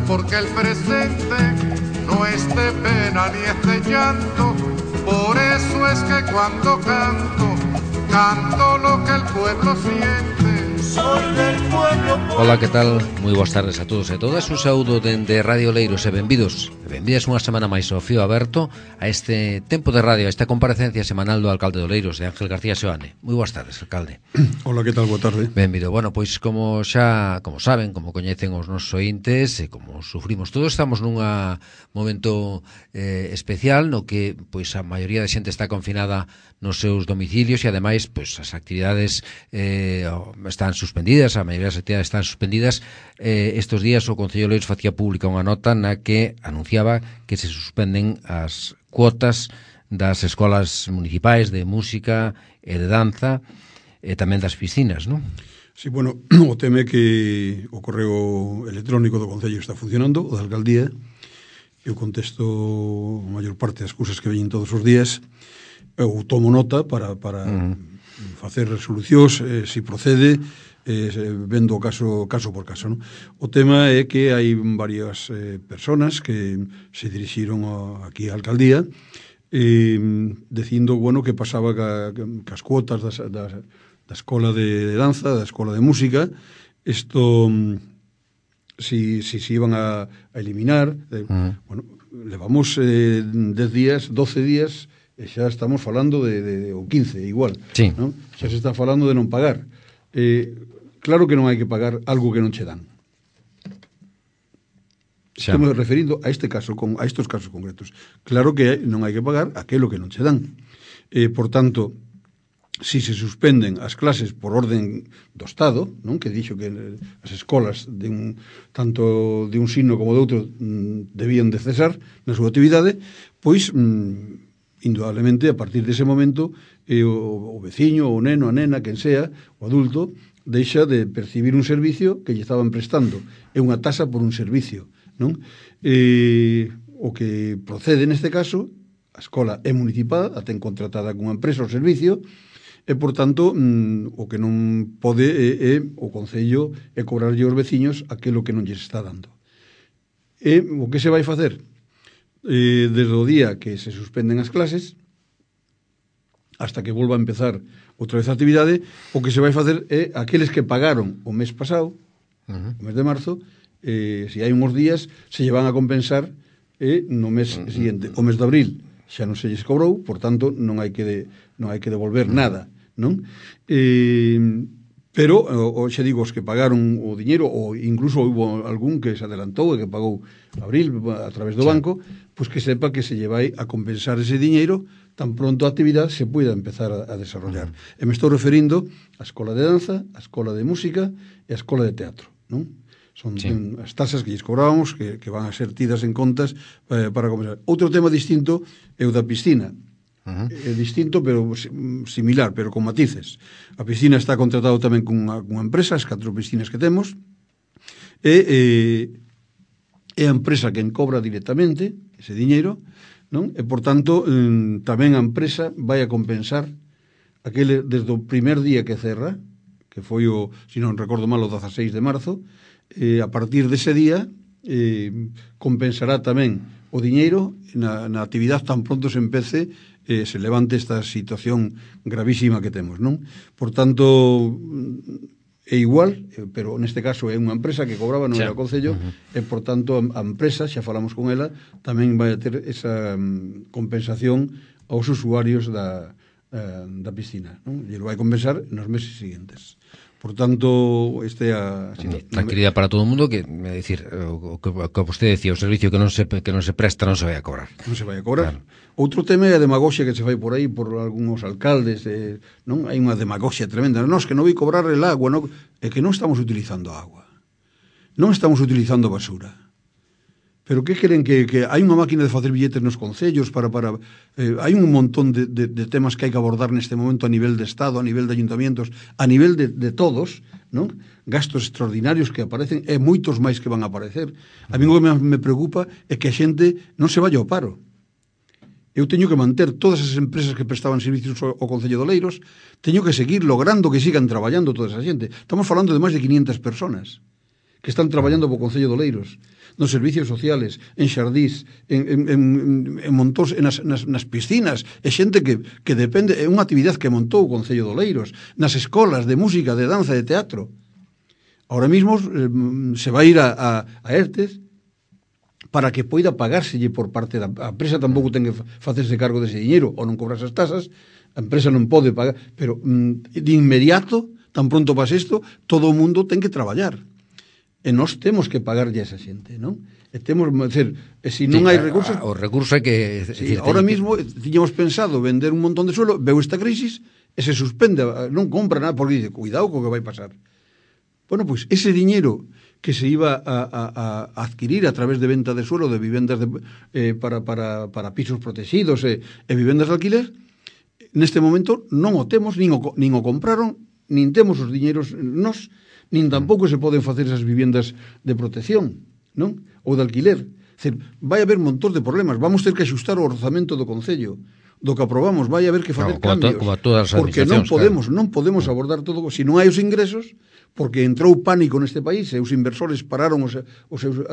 porque el presente no es de pena ni es de llanto. Por eso es que cuando canto, canto lo que el pueblo siente. Soy del pueblo. Ola, que tal? Moi boas tardes a todos e todas. Un saúdo dende Radio Leiros e benvidos. Benvidas unha semana máis ao fío aberto a este tempo de radio, a esta comparecencia semanal do alcalde de Oleiros, de Ángel García Seoane. Moi boas tardes, alcalde. Ola, que tal? Boa tarde. Benvido. Bueno, pois como saben, como coñecen os nosos ointes e como sufrimos todos, estamos nun momento especial no que pois a maioría da xente está confinada nos seus domicilios e ademais pois as actividades están suspendidas, a maioría das actividades están suspendidas. Estes días o Concello de Oleiros facía pública unha nota na que anunciaba que se suspenden as cuotas das escolas municipais de música e de danza e tamén das piscinas, non? Sí, bueno, o tema é que o correo electrónico do Concello está funcionando, o da Alcaldía. Eu contesto a maior parte das cousas que veñen todos os días. Eu tomo nota para facer resolucións, se procede, vendo o caso por caso, non? O tema é que hai varias personas que se dirixiron aquí á Alcaldía dicindo, bueno, que pasaba cas cuotas da escola de danza, da escola de música, isto si iban a eliminar. Bueno, levamos 10 días, 12 días, e xa estamos falando de o 15, igual, sí, non? Xa se está falando de non pagar. Claro que non hai que pagar algo que non che dan. Estamos referindo a este caso, a estes casos concretos. Claro que non hai que pagar aquilo que non che dan. Por tanto, si se suspenden as clases por orden do Estado, non, que dixo que as escolas tanto de un signo como de outro debían de cesar na súa actividade, pois indudablemente a partir dese momento o veciño, o neno, a nena, quen sea, o adulto, deixa de percibir un servicio que lle estaban prestando. É unha tasa por un servicio, non? O que procede neste caso, a escola é municipal, a ten contratada cunha empresa o servicio, e, por tanto, o que non pode é o Concello é cobrarlle aos veciños aquilo que non lles está dando. E o que se vai facer? Desde o día que se suspenden as clases hasta que volva a empezar outra vez a actividade, o que se vai facer é aqueles que pagaron o mes pasado, o mes de marzo, se hai uns días se lle van a compensar no mes seguinte. O mes de abril xa non se lles cobrou, por tanto non hai que devolver nada, non? Pero, xa digo, os que pagaron o diñeiro, ou incluso houve algún que se adelantou e que pagou abril a través do banco, pois que sepa que se lle vai a compensar ese diñeiro tan pronto a actividade se poida empezar a desarrollar. E me estou referindo á escola de danza, á escola de música e á escola de teatro, non? Son as tasas que lles cobrábamos que van a ser tidas en contas para compensar. Outro tema distinto é o da piscina. É distinto, pero similar, pero con matices. A piscina está contratado tamén cunha empresa, as 4 piscinas que temos, e é a empresa quen cobra directamente ese diñeiro, non? E, por tanto, tamén a empresa vai a compensar aquele desde o primer día que cerra, que foi o, se non recordo mal, o 16 de marzo, a partir dese día compensará tamén o diñeiro na actividade tan pronto se empece, se levante esta situación gravísima que temos, non? Por tanto, é igual, pero neste caso é unha empresa que cobraba, non era o Concello, e por tanto a empresa, xa falamos con ela, tamén vai a ter esa compensación aos usuarios da piscina, non? E lo vai compensar nos meses seguintes. Por tanto, este é a tranquilidade para todo o mundo, que é dicir, o que vostede decía, o servicio que non se presta non se vai a cobrar. Non se vai a cobrar. Claro. Outro tema é a demagoxia que se fai por aí por algúns alcaldes, non? Hai unha demagoxia tremenda. Non, que non vai cobrar el agua, non? É que non estamos utilizando agua. Non estamos utilizando basura. Pero que queren que hai unha máquina de facer billetes nos concellos para hai un montón de temas que hai que abordar neste momento a nivel de Estado, a nivel de ayuntamientos, a nivel de todos, non? Gastos extraordinarios que aparecen e moitos máis que van a aparecer. A mí o que me preocupa é que a xente non se vaya ao paro. Eu teño que manter todas as empresas que prestaban servicios ao Concello de Oleiros, teño que seguir logrando que sigan traballando toda esa xente. Estamos falando de máis de 500 personas que están traballando po Concello de Oleiros, nos servicios sociales, en xardís, en montóns, nas piscinas, e xente que depende, é unha actividade que montou o Concello de Oleiros, nas escolas de música, de danza, de teatro. Ahora mismo se vai ir a ERTES para que poida pagárselle por parte da empresa, tampouco ten que facerse cargo dese diñeiro, ou non cobrar esas tasas, a empresa non pode pagar, pero de inmediato, tan pronto pase isto, todo o mundo ten que traballar. E nós temos que pagarlle a esa xente, non? E temos, decir, se non hai recursos... O recurso é que... ahora mismo tiñamos pensado vender un montón de suelo, veu esta crisis e se suspende, non compra nada, porque dice, cuidado co que vai pasar. Bueno, pois ese diñeiro que se iba a adquirir a través de venta de suelo de vivendas para pisos protegidos e vivendas de alquiler, neste momento non o temos, nin o compraron, nin temos os diñeiros nós, nin tampouco se poden facer esas vivendas de protección, non? Ou de alquiler. Decir, vai haber montón de problemas, vamos ter que axustar o orzamento do Concello, do que aprobamos, vai haber que facer cambios, como a todas as porque non podemos abordar todo, se non hai os ingresos, porque entrou pánico neste país, e os inversores pararon as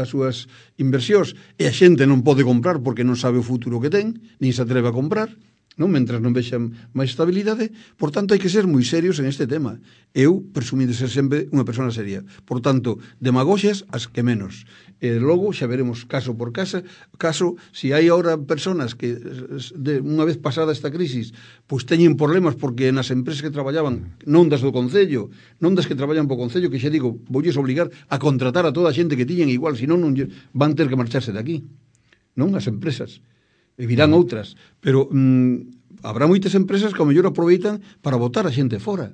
súas inversións, e a xente non pode comprar porque non sabe o futuro que ten, nin se atreve a comprar, non? Mentras non vexan máis estabilidade. Por tanto, hai que ser moi serios en este tema. Eu presumí de ser sempre unha persona seria. Por tanto, demagoxias as que menos. E logo xa veremos caso por caso, se hai ahora personas que unha vez pasada esta crisis pois teñen problemas porque nas empresas que traballaban, non das do Concello, non das que traballan po Concello, que xa digo, voulles obligar a contratar a toda a xente que tiñen igual, senón non van ter que marcharse de aquí, non? As empresas e virán outras, pero habrá moitas empresas que ao mellor aproveitan para botar a xente fora,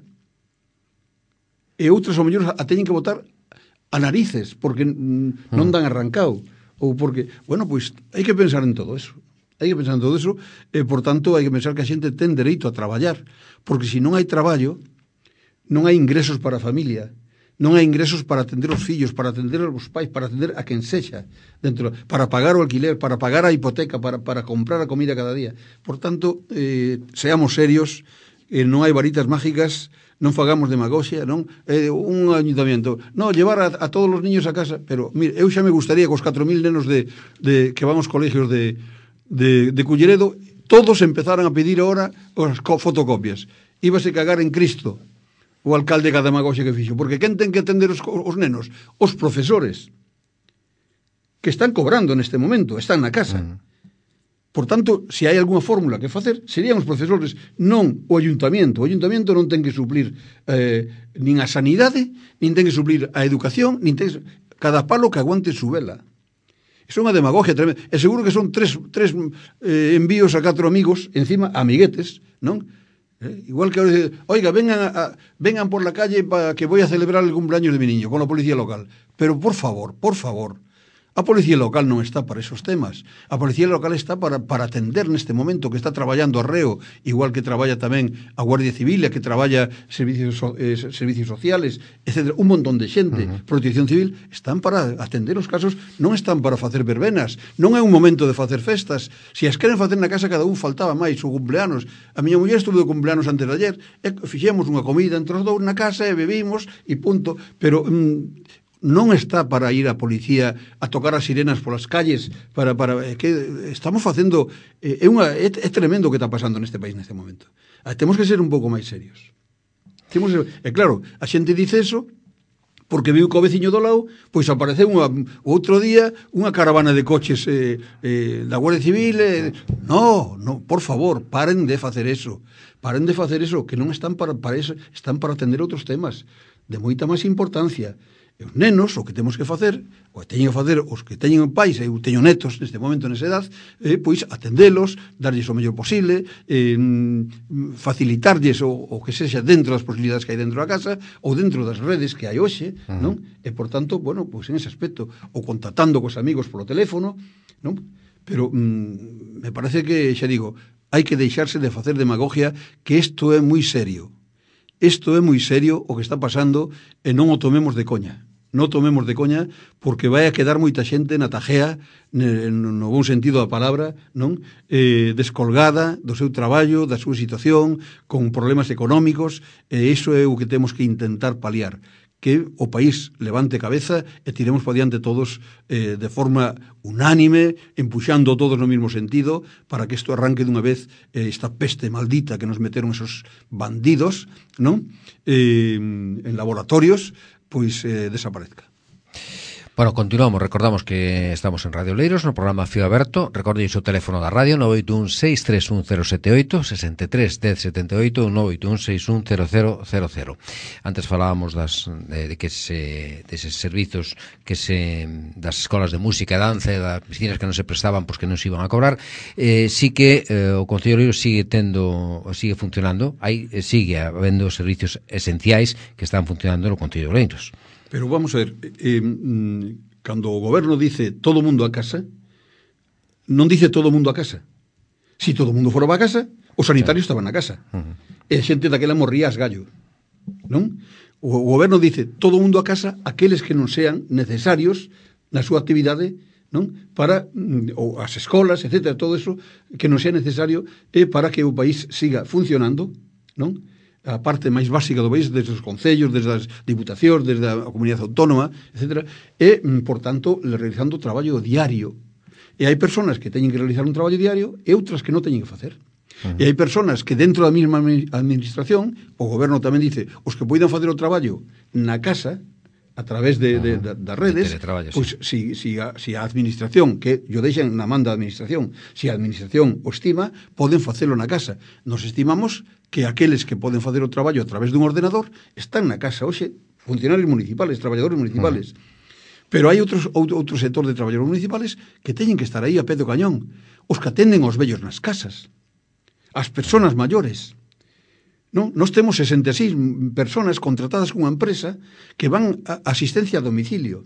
e outras ao mellor a teñen que botar a narices porque non dan arrancado, ou porque, bueno, pois hai que pensar en todo eso, e por tanto hai que pensar que a xente ten dereito a traballar, porque se non hai traballo non hai ingresos para a familia, non hai ingresos para atender os fillos, para atender os pais, para atender a quen sexa, para pagar o alquiler, para pagar a hipoteca, para comprar a comida cada día. Por tanto, seamos serios, non hai varitas mágicas, non fagamos demagoxia, non? Un ayuntamiento, non, llevar a todos os niños a casa, pero, mire, eu xa me gustaría que os 4.000 nenos que van aos colegios de Culleredo, todos empezaran a pedir ahora as fotocopias. Íbase cagar en Cristo o alcalde que a demagoxia que fixo, porque quen ten que atender os nenos? Os profesores, que están cobrando neste momento, están na casa. Por tanto, se hai algunha fórmula que facer, serían os profesores, non o ayuntamiento. O ayuntamiento non ten que suplir nin a sanidade, nin ten que suplir a educación, nin ten cada palo que aguante su vela. Iso é unha demagogia tremenda. E seguro que son tres envíos a 4 amigos, encima amiguetes, non? Igual que ahora dice, oiga, vengan por la calle para que voy a celebrar el cumpleaños de mi niño con la policía local. Pero por favor, a policía local non está para esos temas. A policía local está para atender neste momento, que está traballando a reo, igual que traballa tamén a Guardia Civil, que traballa servicios sociales, etc. Un montón de xente, Protección Civil, están para atender os casos, non están para facer verbenas, non é un momento de facer festas. Se as queren facer na casa, cada un faltaba máis, o cumpleanos. A miña muller estuvo de cumpleanos antes de ayer, e fixemos unha comida entre os dous na casa e bebimos e punto, pero non está para ir a policía a tocar as sirenas polas calles que estamos facendo é tremendo o que está pasando neste país neste momento. Temos que ser un pouco máis serios. Claro, a xente dice eso porque viu que o veciño do lado pois apareceu outro día unha caravana de coches da Guardia Civil. No, por favor, paren de facer eso, que non están para eso, están para atender outros temas de moita máis importancia. E os nenos, o que temos que facer, o que teñen que facer os que teñen pais, eu teño netos neste momento nesa edad, pois atendelos, darlles o mellor posible, facilitarlles o que sexa dentro das posibilidades que hai dentro da casa ou dentro das redes que hai hoxe, non? E por tanto, bueno, pois en ese aspecto, ou contactando cos amigos polo teléfono, non? Pero me parece que, xa digo, hai que deixarse de facer demagogia, que isto é moi serio. Isto é moi serio o que está pasando e non o tomemos de coña. Non o tomemos de coña porque vai a quedar moita xente na tajea, no bon sentido da palabra, non? Descolgada do seu traballo, da súa situación, con problemas económicos, e iso é o que temos que intentar paliar. que o país levante cabeza e tiremos para diante todos de forma unánime, empuxando todos no mesmo sentido, para que isto arranque dunha vez, esta peste maldita que nos meteron esos bandidos, non? En laboratorios, pois desaparezca. Bueno, continuamos, recordamos que estamos en Radio Oleiros no programa Fío Aberto. Recordéis o teléfono da radio 981-631-078 63-1078 981-610000. Antes falábamos deses servizos das escolas de música e danza e das piscinas que non se prestaban pois que non se iban a cobrar. Sí que o Concello de Oleiros sigue funcionando, sigue habendo servicios esenciais que están funcionando no Concello de Oleiros. Pero vamos a ver, cando o goberno dice todo mundo a casa, non dice todo mundo a casa. Si todo mundo fora a casa, os sanitarios estaban na casa. E a xente daquela morría as gallo. Non? O goberno dice todo mundo a casa, aqueles que non sean necesarios na súa actividade, non? Para ou as escolas, etcétera, todo eso que non sea necesario para que o país siga funcionando, non? A parte máis básica do país, desde os concellos, desde as diputacións, desde a comunidade autónoma, etc. E, por tanto, realizando traballo diario. E hai persoas que teñen que realizar un traballo diario e outras que non teñen que facer. E hai persoas que dentro da mesma administración, o goberno tamén dice, os que poidan facer o traballo na casa, a través das redes, pois si a administración, que yo deixan na man da administración, si a administración o estima, poden facelo na casa. Nos estimamos que aqueles que poden facer o traballo a través dun ordenador están na casa. Oxe, funcionarios municipales, traballadores municipales. Pero hai outro sector de traballadores municipales que teñen que estar aí a pé do cañón. Os que atenden aos vellos nas casas. As persoas maiores. Non? Nós temos 66 personas contratadas cunha empresa que van a asistencia a domicilio,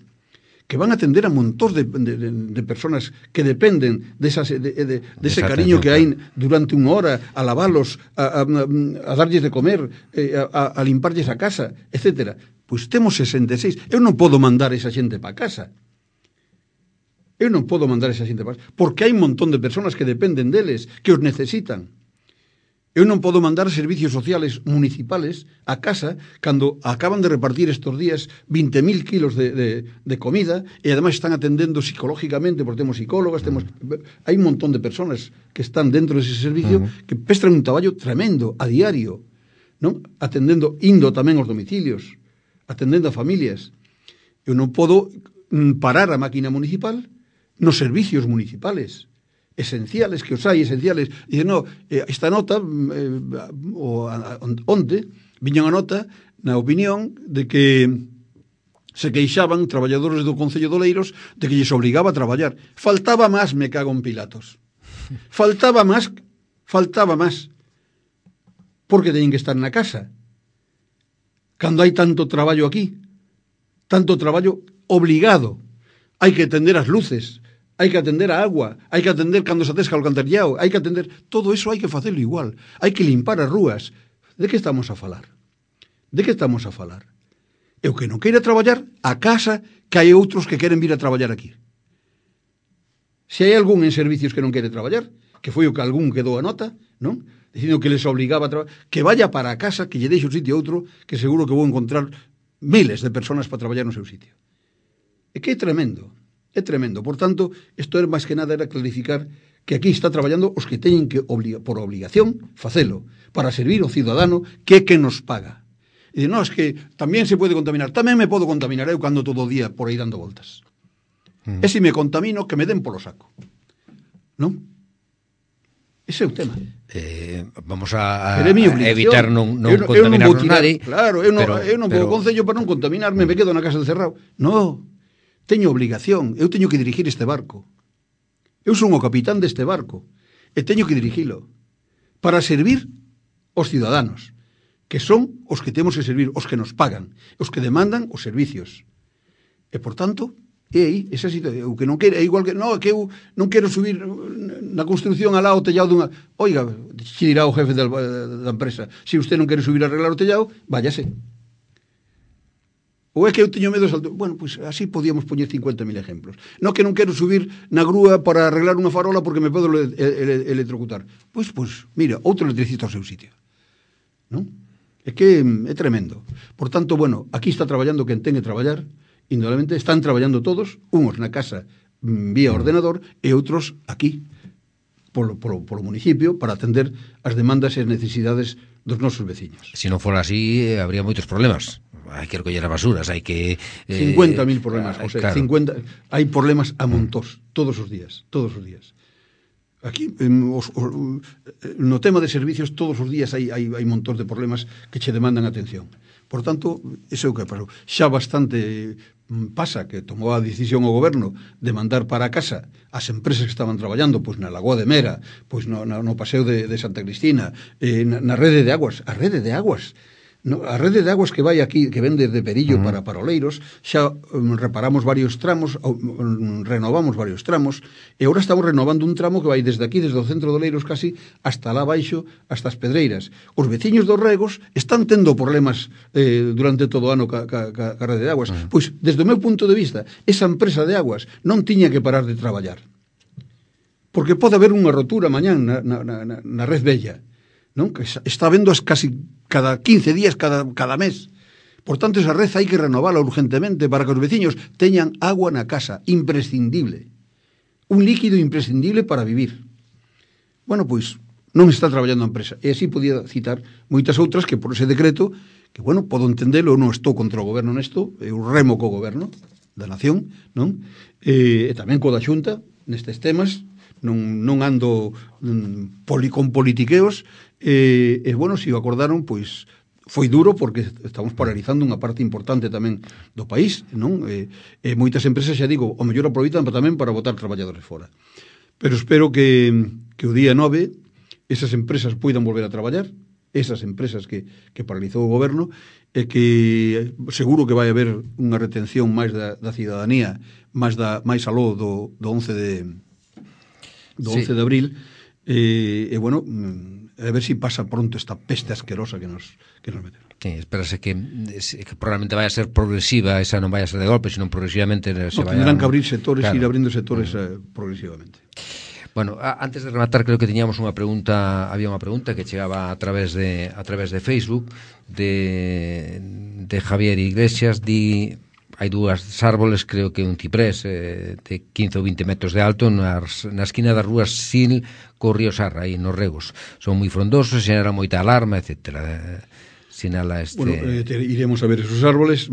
que van a atender a montóns de personas que dependen dese cariño que hai durante unha hora, a lavalos, a darlles de comer, a limparlles a casa, etc. Pois temos 66. Eu non podo mandar esa xente para casa. Porque hai un montón de personas que dependen deles, que os necesitan. Eu non podo mandar servicios sociales municipales a casa cando acaban de repartir estos días 20.000 kilos de comida e ademais están atendendo psicológicamente, porque temos psicólogas, hai un montón de personas que están dentro dese servicio que prestan un traballo tremendo a diario, non? Indo tamén aos domicilios, atendendo a familias. Eu non podo parar a máquina municipal nos servicios municipales esenciales, que os hai esenciales, e dicen, esta nota onte viña unha nota na opinión de que se queixaban traballadores do Concello de Oleiros de que lles obligaba a traballar. Faltaba máis, me cago en Pilatos. Faltaba máis, porque teñen que estar na casa. Cando hai tanto traballo aquí, tanto traballo obligado, hai que atender as luces, hai que atender a agua, hai que atender cando se atesca o alcantarillado, hai que atender... Todo eso hai que facelo igual. Hai que limpar as rúas. De que estamos a falar? E o que non queira traballar, a casa, que hai outros que queren vir a traballar aquí. Se hai algún en servicios que non quere traballar, que foi o que algún quedou a nota, non? Dicindo que les obligaba a traballar, que vaya para a casa, que lle deixe un sitio a outro, que seguro que vou encontrar miles de personas para traballar no seu sitio. E que é tremendo. Por tanto, isto é máis que nada era clarificar que aquí está traballando os que teñen que, por obligación, facelo, para servir ao cidadano que nos paga. E dice, es que tamén se pode contaminar. Tamén me podo contaminar eu cando todo o día por aí dando voltas. E se me contamino, que me den polo saco. Non? Ese é o tema. Vamos a evitar non contaminarnos nadie. Claro, eu non vou ao Concello para non contaminarme, me quedo na casa encerrado. Non. Teño obligación, eu teño que dirigir este barco. Eu son o capitán deste barco e teño que dirigilo para servir os ciudadanos, que son os que temos que servir, os que nos pagan, os que demandan os servicios. E, por tanto, é aí, esa situación, o que non quere, é igual que, que eu non quero subir na construcción alá o tellado dunha... Oiga, xe dirá o jefe da empresa, se usted non quere subir a arreglar o tellado, váyase. Ou é que eu teño medo de salto? Bueno, pois así podíamos poñer 50.000 ejemplos. Non que non quero subir na grúa para arreglar unha farola porque me podo electrocutar. Pois, mira, outro electricista ao seu sitio. Non? É que é tremendo. Por tanto, bueno, aquí está traballando quen ten que traballar, indudablemente están traballando todos, unos na casa vía ordenador e outros aquí polo municipio para atender as demandas e as necesidades dos nosos veciños. Se non fora así, habría moitos problemas. Hai que recoller as basuras, hai que... 50.000 problemas, José, claro. 50, hai problemas a montós, todos os días. Aquí, no tema de servicios, todos os días hai montós de problemas que che demandan atención. Por tanto, iso é o que pasou. Xa bastante pasa que tomou a decisión o goberno de mandar para a casa as empresas que estaban traballando pois na Lagoa de Mera, pois no paseo de Santa Cristina, na rede de aguas, a rede de aguas que vai aquí, que ven desde Perillo para Oleiros, xa reparamos varios tramos, renovamos varios tramos, e agora estamos renovando un tramo que vai desde aquí, desde o centro de Oleiros casi, hasta lá baixo, hasta as Pedreiras. Os veciños dos regos están tendo problemas durante todo o ano ca rede de aguas. Pois, desde o meu punto de vista, esa empresa de aguas non tiña que parar de traballar. Porque pode haber unha rotura mañán na red vella, non? Que está vendo casi cada 15 días, cada mes. Por tanto, esa red hai que renovala urgentemente para que os veciños teñan agua na casa, imprescindible. Un líquido imprescindible para vivir. Bueno, pois, non está traballando a empresa. E así podía citar moitas outras que por ese decreto, que, bueno, podo entendelo, eu non estou contra o goberno nesto, eu remo co goberno da nación, non? E tamén co da Xunta, nestes temas, non ando con politiqueos, e bueno, se o acordaron, pois foi duro porque estamos paralizando unha parte importante tamén do país, non? Moitas empresas, xa digo, o mellor aproveitan tamén para botar traballadores fora. Pero espero que o día 9 esas empresas poidan volver a traballar, esas empresas que paralizou o goberno, e que seguro que vai haber unha retención máis da cidadanía, máis aló do 11 de abril, e bueno, a ver si pasa pronto esta peste asquerosa que nos meteron. Sí, espérase que probablemente vai a ser progresiva, esa non vai a ser de golpe, sino progresivamente se vai a... Tendrán que abrir sectores, claro. Ir abrindo sectores progresivamente. Bueno, antes de rematar, creo que teníamos unha pregunta, había unha pregunta que chegaba a través de Facebook de Javier Iglesias. Hai dúas árboles, creo que un ciprés de 15 ou 20 metros de alto na esquina das rúas Sil co río Sarra, aí nos regos. Son moi frondosos, xeneran moita alarma, etcétera. Sinala este... Bueno, iremos a ver esos árboles.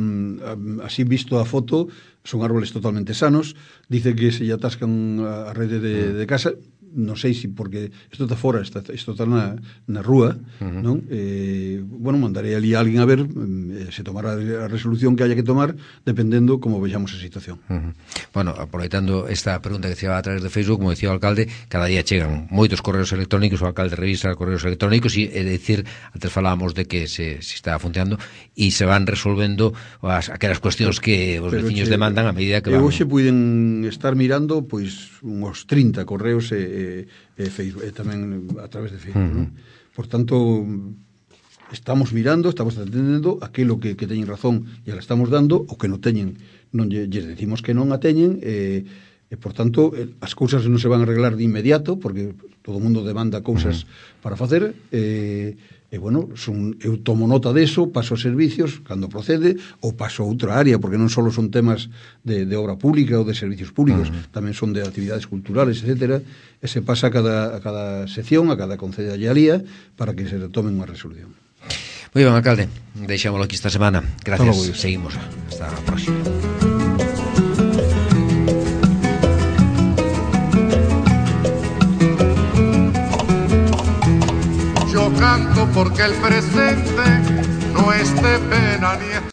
Así visto a foto, son árboles totalmente sanos. Dice que se lle atascan a rede de casa. Non sei se porque isto está fora, isto está na rúa, non? Bueno, mandarei ali a alguén a ver, se tomará a resolución que haya que tomar, dependendo como vexamos a situación. Bueno, aproveitando esta pregunta que chegaba a través de Facebook, como decía o alcalde, cada día chegan moitos correos electrónicos, o alcalde revisa correos electrónicos, e decir, antes falábamos de que se está funcionando, e se van resolvendo aquelas cuestións que os veciños demandan a medida que van... Hoxe puiden estar mirando, pois, uns 30 correos Facebook, tamén a través de Facebook, non? Por tanto, estamos mirando, estamos atendendo aquilo que teñen razón e la estamos dando, o que non teñen, non lles decimos que non a teñen, e por tanto, as cousas non se van a arreglar de inmediato, porque todo o mundo demanda cousas para facer, e bueno, eu tomo nota deso, paso os servicios cando procede, ou paso a outra área, porque non só son temas de obra pública ou de servicios públicos, tamén son de actividades culturales, etcétera, e se pasa a cada sección, a cada concellería, para que se tomen unha resolución. Moi ben, alcalde, deixámoslo aquí esta semana. Gracias, seguimos. Hasta a próxima. Yo canto porque el presente no es de pena ni es